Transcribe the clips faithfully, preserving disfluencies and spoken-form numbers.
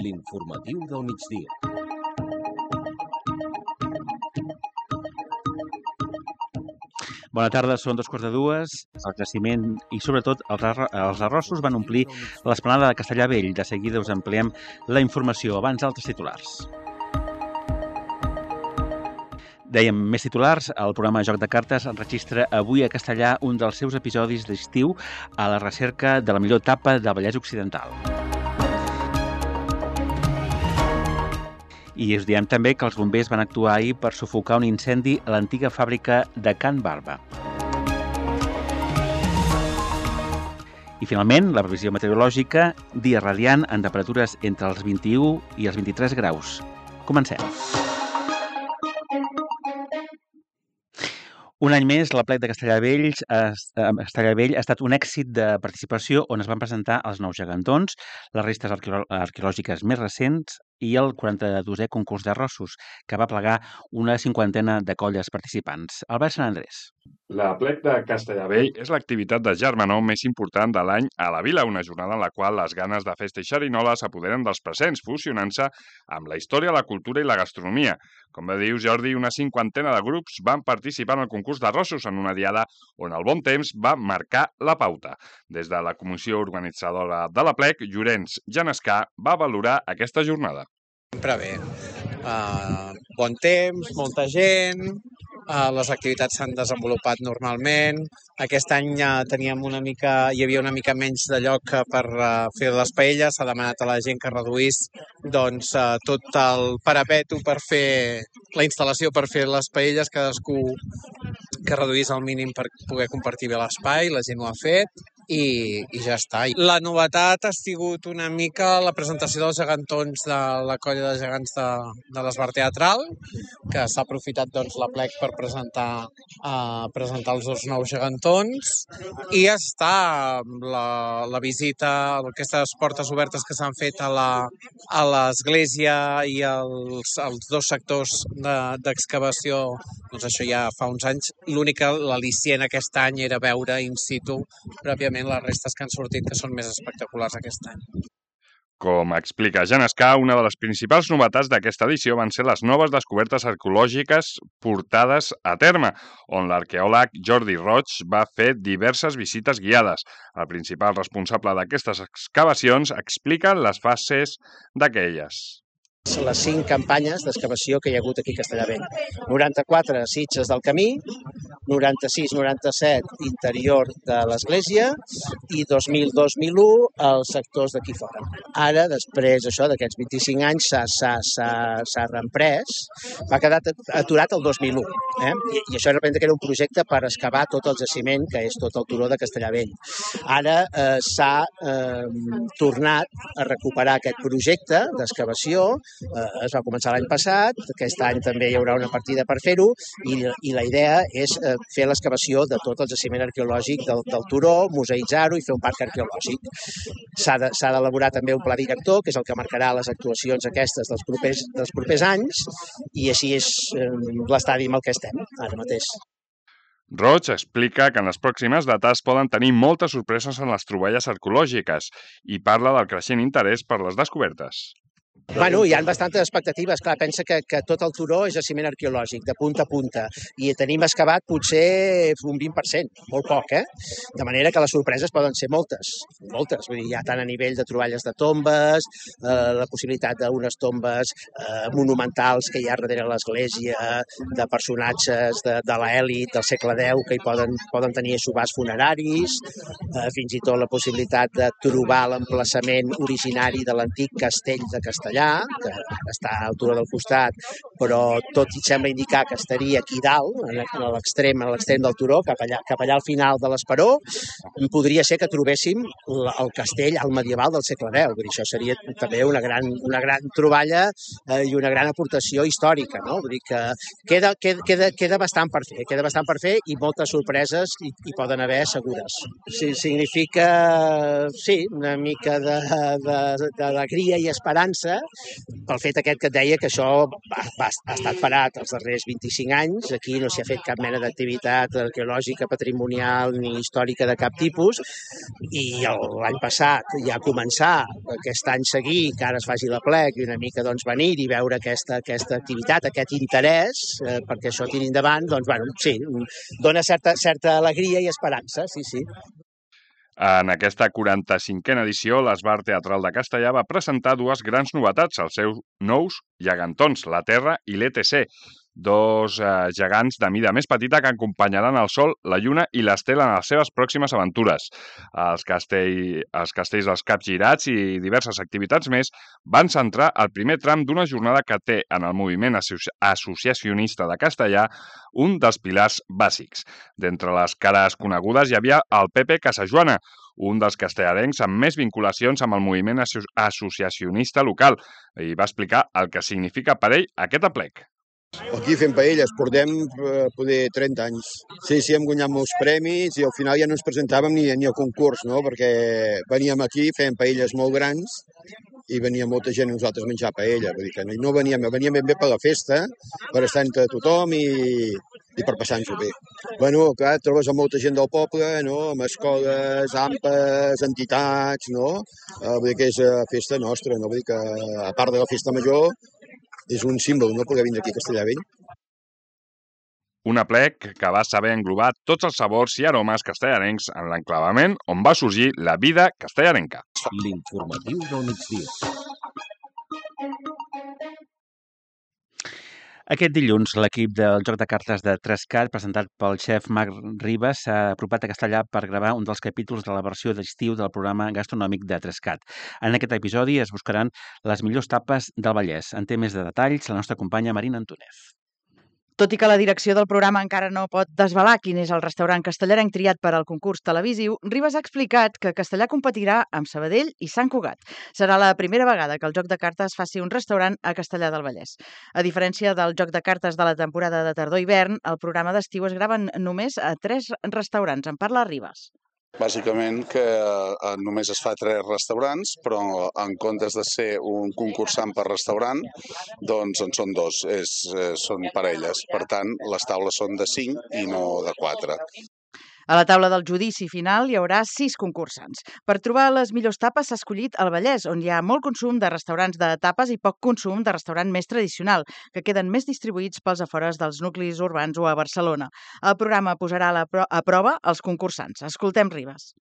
l'informatiu del migdia. Bona tarda, són dos quarts de dues. El creixement i, sobretot, els, arro els arrossos van omplir l'esplanada de Castellar-Vell. De seguida us ampliem la informació. Abans, altres titulars. Dèiem, més titulars. El programa Joc de Cartes enregistra avui a Castellar un dels seus episodis d'estiu a la recerca de la millor etapa del Vallès Occidental. I us diem també que els bombers van actuar ahir per sufocar un incendi a l'antiga fàbrica de Can Barba. I finalment, la previsió meteorològica, dia radiant amb temperatures entre els vint-i-u i els vint-i-tres graus. Comencem. Un any més, l'Aplec de Castellar-Vell ha estat un èxit de participació on es van presentar els nous gegantons, les restes arqueològiques més recents i el quaranta-dosè concurs d'arrossos, que va plegar una cinquantena de colles participants. Albert Sant Andrés. L'Aplec de Castellar-Vell és l'activitat de germanor més important de l'any a la vila, una jornada en la qual les ganes de festa i xerinola s'apoderen dels presents, fusionant-se amb la història, la cultura i la gastronomia. Com bé dius, Jordi, una cinquantena de grups van participar en el concurs d'arrossos en una diada on el bon temps va marcar la pauta. Des de la comissió organitzadora de l'Aplec, Llorenç Genescà va valorar aquesta jornada. Sempre bé. Uh, bon temps, molta gent, uh, les activitats s'han desenvolupat normalment. Aquest any uh, teníem una mica, hi havia una mica menys de lloc per uh, fer les paelles. S'ha demanat a la gent que reduís doncs, uh, tot el parapeto per fer la instal·lació per fer les paelles, cadascú que reduís al mínim per poder compartir bé l'espai, la gent ho ha fet. I, i ja està. La novetat ha sigut una mica la presentació dels gegantons de la colla de gegants de, de l'Esbar Teatral, que s'ha aprofitat doncs, l'Aplec per presentar, uh, presentar els dos nous gegantons, i està la, la visita, aquestes portes obertes que s'han fet a la, a l'església i els, els dos sectors d'excavació, de, doncs això ja fa uns anys. L'únic, l'al·licient aquest any era veure in situ pròpiament les restes que han sortit, que són més espectaculars aquest any. Com explica Genescà, una de les principals novetats d'aquesta edició van ser les noves descobertes arqueològiques portades a terme, on l'arqueòleg Jordi Roig va fer diverses visites guiades. El principal responsable d'aquestes excavacions explica les fases d'aquelles. Les cinc campanyes d'excavació que hi ha hagut aquí a Castellar-Vell. noranta-quatre Sitges del Camí, noranta-sis noranta-set interior de l'església i dos mil dos mil u els sectors d'aquí fora. Ara, després això d'aquests vint-i-cinc anys, s'ha reemprès, va quedar aturat el dos mil u. Eh? I, I això representa que era un projecte per excavar tot el jaciment, que és tot el turó de Castellar-Vell. Ara eh, s'ha eh, tornat a recuperar aquest projecte d'excavació. Eh, es va començar l'any passat, aquest any també hi haurà una partida per fer-ho i, i la idea és eh, fer l'excavació de tot el jaciment arqueològic del, del turó, museïtzar-ho i fer un parc arqueològic. S'ha d'elaborar de, també un pla director, que és el que marcarà les actuacions aquestes dels propers, dels propers anys, i així és eh, l'estadi amb el que estem ara mateix. Roig explica que en les pròximes dates poden tenir moltes sorpreses en les troballes arqueològiques i parla del creixent interès per les descobertes. Bueno, hi ha bastantes expectatives. Clar, pensa que, que tot el turó és jaciment arqueològic, de punta a punta, i tenim excavat potser un vint per cent, molt poc, eh? De manera que les sorpreses poden ser moltes, moltes. Vull dir, hi ha tant a nivell de troballes de tombes, eh, la possibilitat d'unes tombes eh, monumentals que hi ha darrere l'església, de personatges de, de l'elit del segle deu que hi poden, poden tenir aixovars funeraris, eh, fins i tot la possibilitat de trobar l'emplaçament originari de l'antic castell de Castellar, que està a l'altura del costat, però tot sembla indicar que estaria aquí dalt, a l'extrem a l'extrem del turó, cap allà, cap allà al final de l'Esperó. Podria ser que trobéssim el castell al medieval del segle deu. Vull dir, això seria també una gran, una gran troballa eh, i una gran aportació històrica, no? Vull dir que queda, queda, queda bastant per fer, queda bastant per fer i moltes sorpreses hi, hi poden haver segures. Sí, significa, sí, una mica d'alegria i esperança, pel fet aquest que et deia que això va, va, ha estat parat els darrers vint-i-cinc anys. Aquí no s'hi ha fet cap mena d'activitat arqueològica, patrimonial ni històrica de cap tipus, i l'any passat ja començar aquest any seguir, que ara es faci l'aplec i una mica doncs, venir i veure aquesta, aquesta activitat, aquest interès eh, perquè això tiri endavant, doncs bueno, sí, dona certa, certa alegria i esperança, sí, sí. En aquesta quaranta-cinquena edició, l'Esbar Teatral de Castellà va presentar dues grans novetats, els seus nous gegantons, la Terra i l'E T C, dos eh, gegants de mida més petita que acompanyaran el Sol, la Lluna i l'Estela en les seves pròximes aventures. Els, castell, els castells dels capgirats i diverses activitats més van centrar el primer tram d'una jornada que té en el moviment associacionista de Castellà un dels pilars bàsics. D'entre les cares conegudes hi havia el Pepe Casajoana, un dels castellarencs amb més vinculacions amb el moviment associacionista local, i va explicar el que significa per ell aquest aplec. Aquí fem paelles, portem eh, poder trenta anys. Sí, sí, hem guanyat molts premis i al final ja no ens presentàvem ni, ni a concurs, no? Perquè veníem aquí, fèiem paelles molt grans i venia molta gent a nosaltres a menjar paella. Vull dir que no veníem, veníem ben bé per la festa, per estar entre tothom i, i per passar-nos-ho bé. Bueno, clar, trobes a molta gent del poble, no? Amb escoles, ampes, entitats, no? Uh, vull dir que és uh, festa nostra, no? Vull dir que a part de la festa major és un símbol, no?, poder vindre aquí a Castellavell. Un aplec que va saber englobar tots els sabors i aromes castellarencs en l'enclavament on va sorgir la vida castellarenca. L'informatiu del migdia. Aquest dilluns, l'equip del joc de cartes de Trescat, presentat pel xef Marc Ribas, s'ha apropat a Castellà per gravar un dels capítols de la versió d'estiu del programa gastronòmic de Trescat. En aquest episodi es buscaran les millors tapes del Vallès. En té més de detalls la nostra companya Marina Antúnez. Tot i que la direcció del programa encara no pot desvelar quin és el restaurant castellarenc triat per al concurs televisiu, Ribas ha explicat que Castellà competirà amb Sabadell i Sant Cugat. Serà la primera vegada que el joc de cartes faci un restaurant a Castellar del Vallès. A diferència del joc de cartes de la temporada de tardor-hivern, el programa d'estiu es grava només a tres restaurants. En parla Ribas. Bàsicament que eh, només es fa tres restaurants, però en comptes de ser un concursant per restaurant, doncs en són dos, és, eh, són parelles. Per tant, les taules són de cinc i no de quatre. A la taula del judici final hi haurà sis concursants. Per trobar les millors tapes s'ha escollit el Vallès, on hi ha molt consum de restaurants de tapes i poc consum de restaurant més tradicional, que queden més distribuïts pels afores dels nuclis urbans o a Barcelona. El programa posarà a, la pro a prova els concursants. Escoltem Ribas.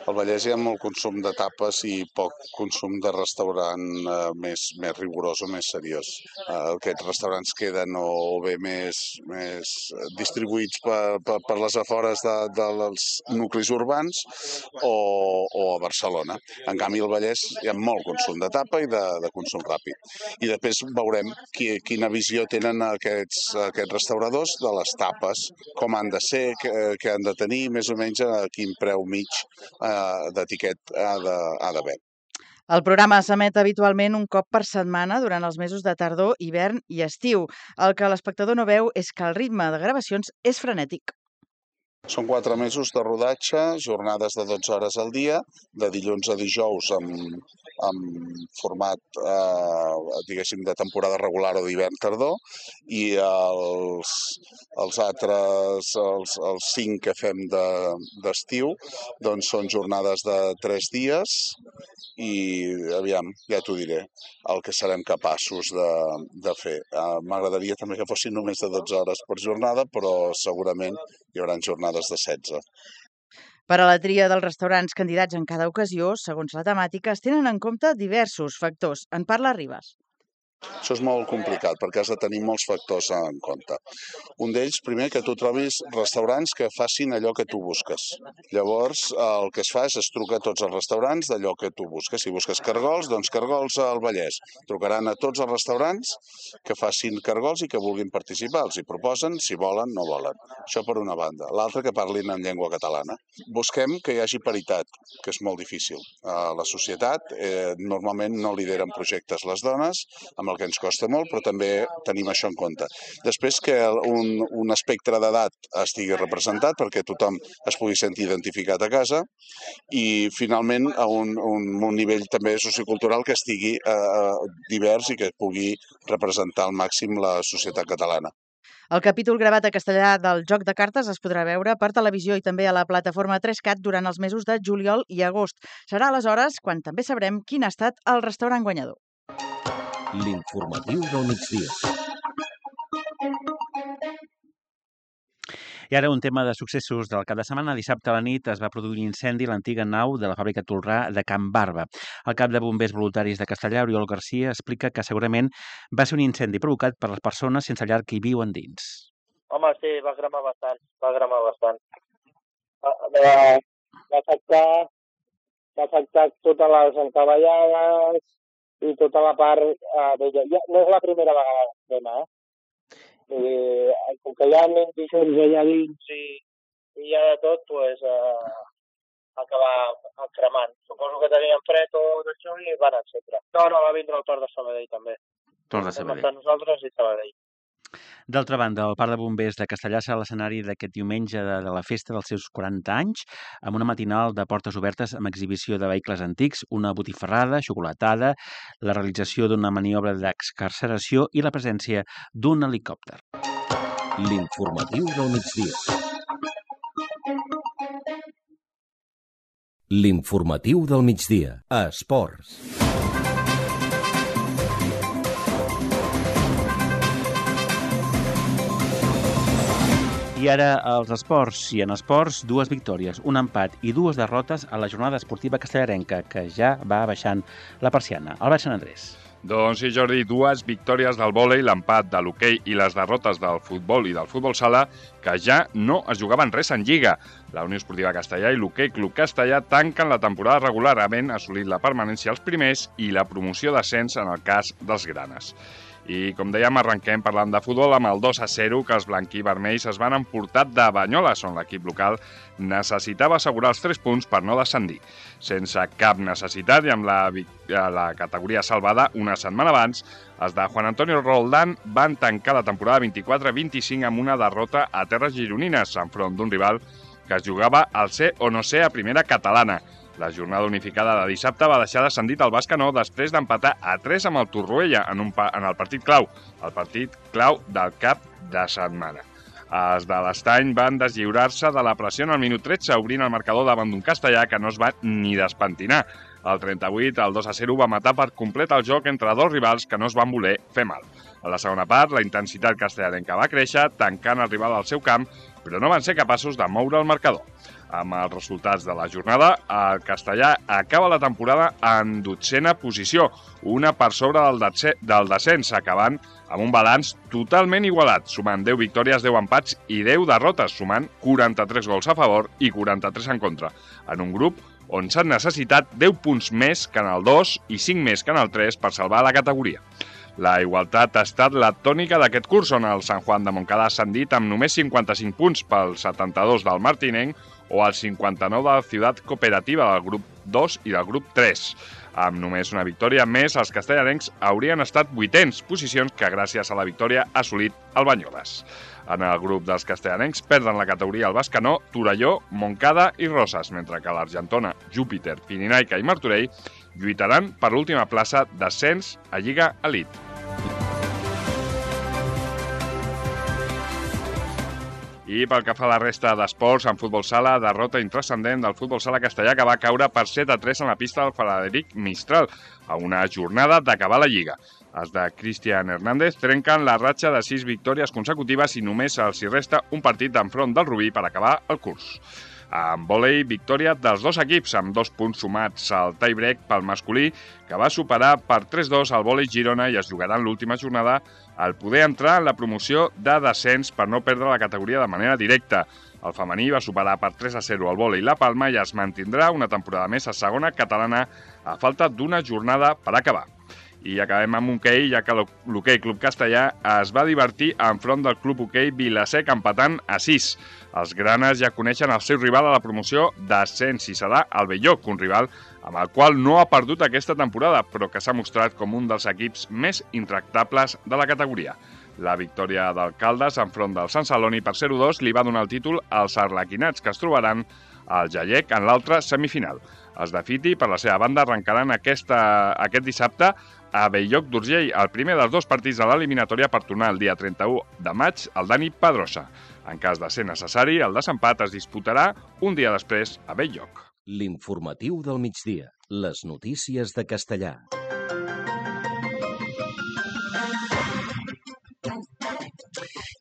Al Vallès hi ha molt consum de tapes i poc consum de restaurant eh, més, més rigorós o més seriós. Eh, aquests restaurants queden o, o bé més, més distribuïts per, per, per les afores de, dels nuclis urbans o, o a Barcelona. En canvi, al Vallès hi ha molt consum de tapa i de, de consum ràpid. I després veurem qui, quina visió tenen aquests, aquests restauradors de les tapes, com han de ser, què, què han de tenir, més o menys a quin preu mig d'etiquet ha d'haver. El programa s'emet habitualment un cop per setmana durant els mesos de tardor, hivern i estiu. El que l'espectador no veu és que el ritme de gravacions és frenètic. Són quatre mesos de rodatge, jornades de dotze hores al dia, de dilluns a dijous amb, amb format, eh, diguéssim, de temporada regular o d'hivern-tardor, i els, els altres, els, els cinc que fem d'estiu, de, doncs són jornades de tres dies i, aviam, ja t'ho diré, el que serem capaços de, de fer. Eh, M'agradaria també que fossin només de dotze hores per jornada, però segurament hi haurà jornades de setze. Per a la tria dels restaurants candidats en cada ocasió, segons la temàtica, es tenen en compte diversos factors. En parla Ribas. Això és molt complicat perquè has de tenir molts factors en compte. Un d'ells, primer, que tu trobis restaurants que facin allò que tu busques. Llavors, el que es fa és es truca a tots els restaurants d'allò que tu busques. Si busques cargols, doncs cargols al Vallès. Trucaran a tots els restaurants que facin cargols i que vulguin participar. Els hi proposen, si volen, no volen. Això per una banda. L'altra, que parlin en llengua catalana. Busquem que hi hagi paritat, que és molt difícil. A la societat, eh, normalment no lideren projectes les dones, amb el que ens costa molt, però també tenim això en compte. Després que un, un espectre d'edat estigui representat perquè tothom es pugui sentir identificat a casa i finalment a un, un, un nivell també sociocultural que estigui eh, divers i que pugui representar al màxim la societat catalana. El capítol gravat a castellà del Joc de Cartes es podrà veure per televisió i també a la plataforma tres cat durant els mesos de juliol i agost. Serà aleshores quan també sabrem quin ha estat el restaurant guanyador. L'informatiu del migdia. I ara un tema de successos del cap de setmana. Dissabte a la nit es va produir un incendi a l'antiga nau de la fàbrica Tolrà de Can Barba. El cap de bombers voluntaris de Castellà, Oriol Garcia, explica que segurament va ser un incendi provocat per les persones sense llar que hi viuen dins. Home, sí, va cremar bastant, va cremar bastant. Va, va afectar, va afectar totes les encavallades i tota la part eh, vella. Ja, no és la primera vegada que crema, eh? I, com que hi ha indigens allà dins i, i hi ha de tot, doncs eh, acabar cremant. Suposo que tenien fred o d'això i van encendre. No, no, va vindre el Tor de Sabadell també. Tor de Sabadell. Entre nosaltres i Sabadell. D'altra banda, el Parc de Bombers de Castellà serà l'escenari d'aquest diumenge de, de la festa dels seus quaranta anys, amb una matinal de portes obertes amb exhibició de vehicles antics, una botifarrada, xocolatada, la realització d'una maniobra d'excarceració i la presència d'un helicòpter. L'informatiu del migdia. L'informatiu del migdia. A Esports. I ara els esports. I en esports, dues victòries, un empat i dues derrotes a la jornada esportiva castellarenca, que ja va baixant la persiana. Albert Sant Andrés. Doncs sí, Jordi, dues victòries del vòlei, l'empat de l'hoquei i les derrotes del futbol i del futbol sala que ja no es jugaven res en Lliga. La Unió Esportiva Castellà i l'Hoquei Club Castellà tanquen la temporada regular, havent assolit la permanència als primers i la promoció d'ascens en el cas dels granes. I, com dèiem, arrenquem parlant de futbol amb el dos a zero que els blanquí-vermells es van emportar de Banyoles, on l'equip local necessitava assegurar els tres punts per no descendir. Sense cap necessitat i amb la, la categoria salvada una setmana abans, els de Juan Antonio Roldán van tancar la temporada vint-i-quatre vint-i-cinc amb una derrota a terres gironines, enfront d'un rival que es jugava al ser o no ser a primera catalana. La jornada unificada de dissabte va deixar descendit el Bascanó després d'empatar a tres amb el Torroella en, un pa en el partit clau, el partit clau del cap de setmana. Els de l'Estany van deslliurar-se de la pressió en el minut tretze, obrint el marcador davant d'un castellà que no es va ni despentinar. Al trenta-vuit, el dos a zero va matar per complet el joc entre dos rivals que no es van voler fer mal. A la segona part, la intensitat castellarenca va créixer, tancant el rival al seu camp, però no van ser capaços de moure el marcador. Amb els resultats de la jornada, el castellà acaba la temporada en dotzena posició, una per sobre del, del descens, acabant amb un balanç totalment igualat, sumant deu victòries, deu empats i deu derrotes, sumant quaranta-tres gols a favor i quaranta-tres en contra, en un grup on s'han necessitat deu punts més que en el dos i cinc més que en el tres per salvar la categoria. La igualtat ha estat la tònica d'aquest curs, on el Sant Juan de Montcada ha ascendit amb només cinquanta-cinc punts pel setanta-dos del Martinenc o el cinquanta-nou de la Ciutat Cooperativa del grup dos i del grup tres. Amb només una victòria més, els castellarencs haurien estat vuitens, posicions que gràcies a la victòria ha assolit el Banyoles. En el grup dels castellarencs perden la categoria el Bascanó, Torelló, Montcada i Roses, mentre que l'Argentona, Júpiter, Pirinaica i Martorell lluitaran per l'última plaça d'ascens a Lliga Elite. I pel que fa a la resta d'esports, en futbol sala, derrota intrascendent del futbol sala castellà que va caure per set a tres en la pista del Frederic Mistral, a una jornada d'acabar la Lliga. Els de Cristian Hernández trenquen la ratxa de sis victòries consecutives i només els hi resta un partit d'enfront del Rubí per acabar el curs. En vòlei, victòria dels dos equips, amb dos punts sumats al tie-break pel masculí, que va superar per tres dos al vòlei Girona i es jugarà en l'última jornada al poder entrar en la promoció de descens per no perdre la categoria de manera directa. El femení va superar per tres a zero al vòlei La Palma i es mantindrà una temporada més a segona catalana a falta d'una jornada per acabar. I acabem amb hoquei, ja que l'Hoquei Club Castellà es va divertir enfront del Club Hoquei Vilasec empatant a sis. Els granes ja coneixen el seu rival a la promoció d'ascens i serà el Belloc, un rival amb el qual no ha perdut aquesta temporada, però que s'ha mostrat com un dels equips més intractables de la categoria. La victòria del Caldes enfront del Sant Celoni per zero a dos li va donar el títol als arlequinats, que es trobaran al Jallec en l'altra semifinal. Els de Fiti, per la seva banda, arrencaran aquesta, aquest dissabte a Bell-lloc d'Urgell, el primer dels dos partits de l'eliminatòria per tornar el dia trenta-u de maig al Dani Pedrosa. En cas de ser necessari, el desempat es disputarà un dia després a Bell-lloc. L'informatiu del migdia. Les notícies de Castellar.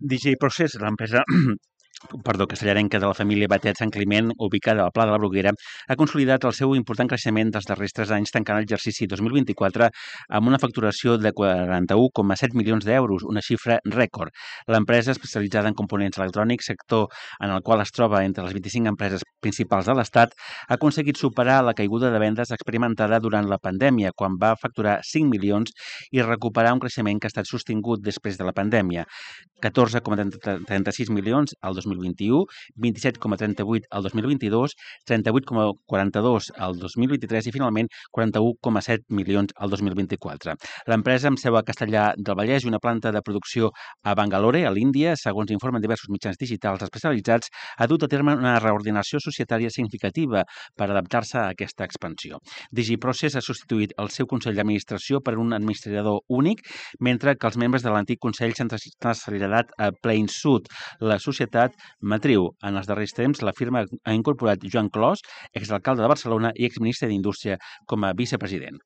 D J Process, l'empresa perdó, castellarenca de la família Batet Sant Climent, ubicada al Pla de la Bruguera, ha consolidat el seu important creixement dels darrers tres anys, tancant l'exercici dos mil vint-i-quatre amb una facturació de quaranta-un coma set milions d'euros, una xifra rècord. L'empresa, especialitzada en components electrònics, sector en el qual es troba entre les vint-i-cinc empreses principals de l'Estat, ha aconseguit superar la caiguda de vendes experimentada durant la pandèmia, quan va facturar cinc milions i recuperar un creixement que ha estat sostingut després de la pandèmia. catorze coma trenta-sis milions al dos mil vint-i-u, vint-i-set coma trenta-vuit al dos mil vint-i-dos, trenta-vuit coma quaranta-dos al dos mil vint-i-tres i, finalment, quaranta-un coma set milions al dos mil vint-i-quatre. L'empresa, amb seu a Castellar del Vallès i una planta de producció a Bangalore, a l'Índia, segons informen diversos mitjans digitals especialitzats, ha dut a terme una reordinació societària significativa per adaptar-se a aquesta expansió. DigiProcess ha substituït el seu Consell d'Administració per un administrador únic, mentre que els membres de l'antic Consell s'han traslladat a Plain Sud, la societat matriu. En els darrers temps, la firma ha incorporat Joan Clos, exalcalde de Barcelona i exministre d'Indústria, com a vicepresident.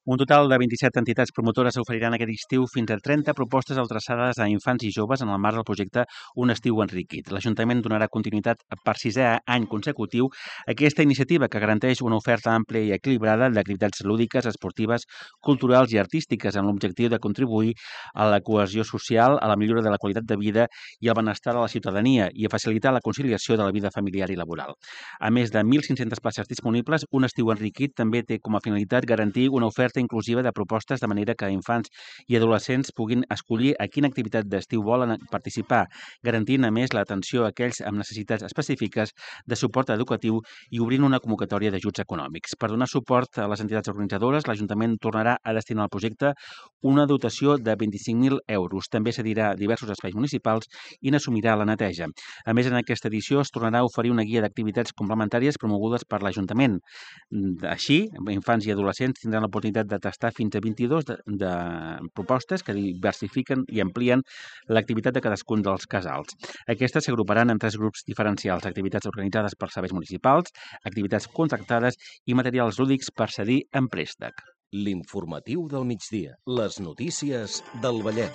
Un total de vint-i-set entitats promotores oferiran aquest estiu fins a trenta propostes adreçades a infants i joves en el marc del projecte Un estiu enriquit. L'Ajuntament donarà continuïtat per sisè any consecutiu a aquesta iniciativa, que garanteix una oferta àmplia i equilibrada d'activitats lúdiques, esportives, culturals i artístiques, amb l'objectiu de contribuir a la cohesió social, a la millora de la qualitat de vida i al benestar de la ciutadania i a facilitar la conciliació de la vida familiar i laboral. A més de mil cinc-centes places disponibles, Un estiu enriquit també té com a finalitat garantir una oferta inclusiva de propostes de manera que infants i adolescents puguin escollir a quina activitat d'estiu volen participar, garantint a més l'atenció a aquells amb necessitats específiques de suport educatiu i obrint una convocatòria d'ajuts econòmics. Per donar suport a les entitats organitzadores, l'Ajuntament tornarà a destinar al projecte una dotació de vint-i-cinc mil euros. També cedirà diversos espais municipals i n'assumirà la neteja. A més, en aquesta edició es tornarà a oferir una guia d'activitats complementàries promogudes per l'Ajuntament. Així, infants i adolescents tindran l'oportunitat de tastar fins a vint-i-dos de, de propostes que diversifiquen i amplien l'activitat de cadascun dels casals. Aquestes s'agruparan en tres grups diferencials: activitats organitzades per serveis municipals, activitats contractades i materials lúdics per cedir en préstec. L'informatiu del migdia. Les notícies del Vallès.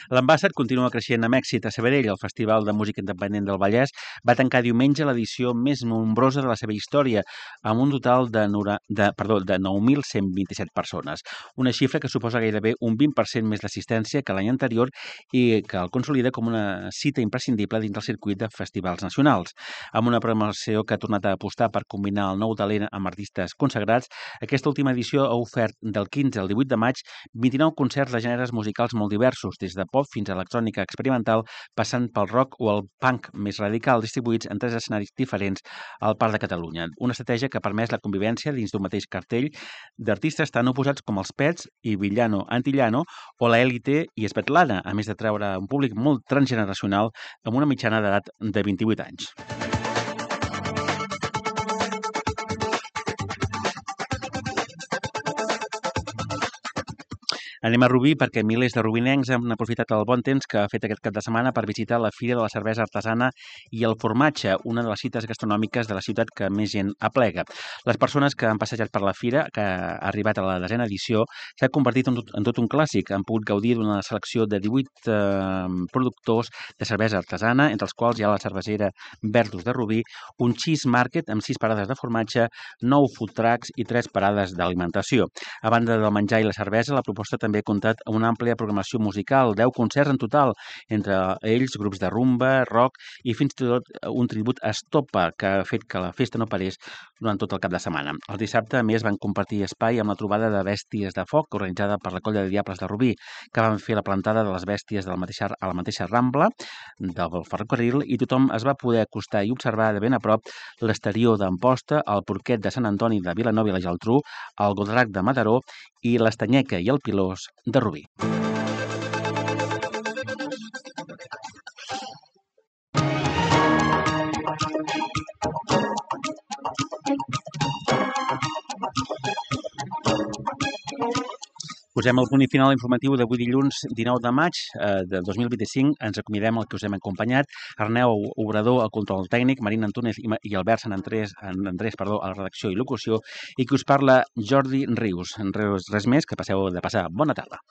L'Ambassat continua creixent amb èxit a Sabadell. El Festival de Música Independent del Vallès va tancar diumenge l'edició més nombrosa de la seva història, amb un total de, nora, de, perdó, de nou mil cent vint-i-set persones, una xifra que suposa gairebé un vint per cent més d'assistència que l'any anterior i que el consolida com una cita imprescindible dins del circuit de festivals nacionals. Amb una programació que ha tornat a apostar per combinar el nou talent amb artistes consagrats, aquesta última edició ha ofert del quinze al divuit de maig vint-i-nou concerts de gèneres musicals molt diversos, des de pop fins a electrònica experimental, passant pel rock o el punk més radical, distribuïts en tres escenaris diferents al Parc de Catalunya. Una estratègia que ha permès la convivència dins d'un mateix cartell d'artistes tan oposats com els Pets i Villano Antillano o la Élite i Svetlana, a més de treure un públic molt transgeneracional amb una mitjana d'edat de vint-i-vuit anys. Anem a Rubí perquè milers de rubinencs han aprofitat el bon temps que ha fet aquest cap de setmana per visitar la Fira de la Cervesa Artesana i el Formatge, una de les cites gastronòmiques de la ciutat que més gent aplega. Les persones que han passejat per la fira, que ha arribat a la desena edició, s'ha convertit en tot, en tot un clàssic. Han pogut gaudir d'una selecció de divuit eh, productors de cervesa artesana, entre els quals hi ha la cervesera Vertus de Rubí, un cheese market amb sis parades de formatge, nou food trucks i tres parades d'alimentació. A banda del menjar i la cervesa, la proposta també també ha comptat amb una àmplia programació musical, deu concerts en total, entre ells grups de rumba, rock i fins i tot un tribut a Estopa, que ha fet que la festa no parés durant tot el cap de setmana. El dissabte, a més, van compartir espai amb la trobada de Bèsties de Foc, organitzada per la Colla de Diables de Rubí, que van fer la plantada de les bèsties de la mateixa, a la mateixa Rambla del ferrocarril, i tothom es va poder acostar i observar de ben a prop l'exterior d'Amposta, el Porquet de Sant Antoni de Vilanova i la Geltrú, el Godrac de Mataró i l'Estanyeca i el Pilós de Rubí. Posem el punt i final informatiu d'avui dilluns dinou de maig eh, de dos mil vint-i-cinc. Ens acomiadem el que us hem acompanyat. Arneu Obrador, al control tècnic, Marina Antúnez i, i Albert Sant Andrés, Andrés perdó, a la redacció i locució, i que us parla Jordi Rius. Res, res més, que passeu de passar bona tarda.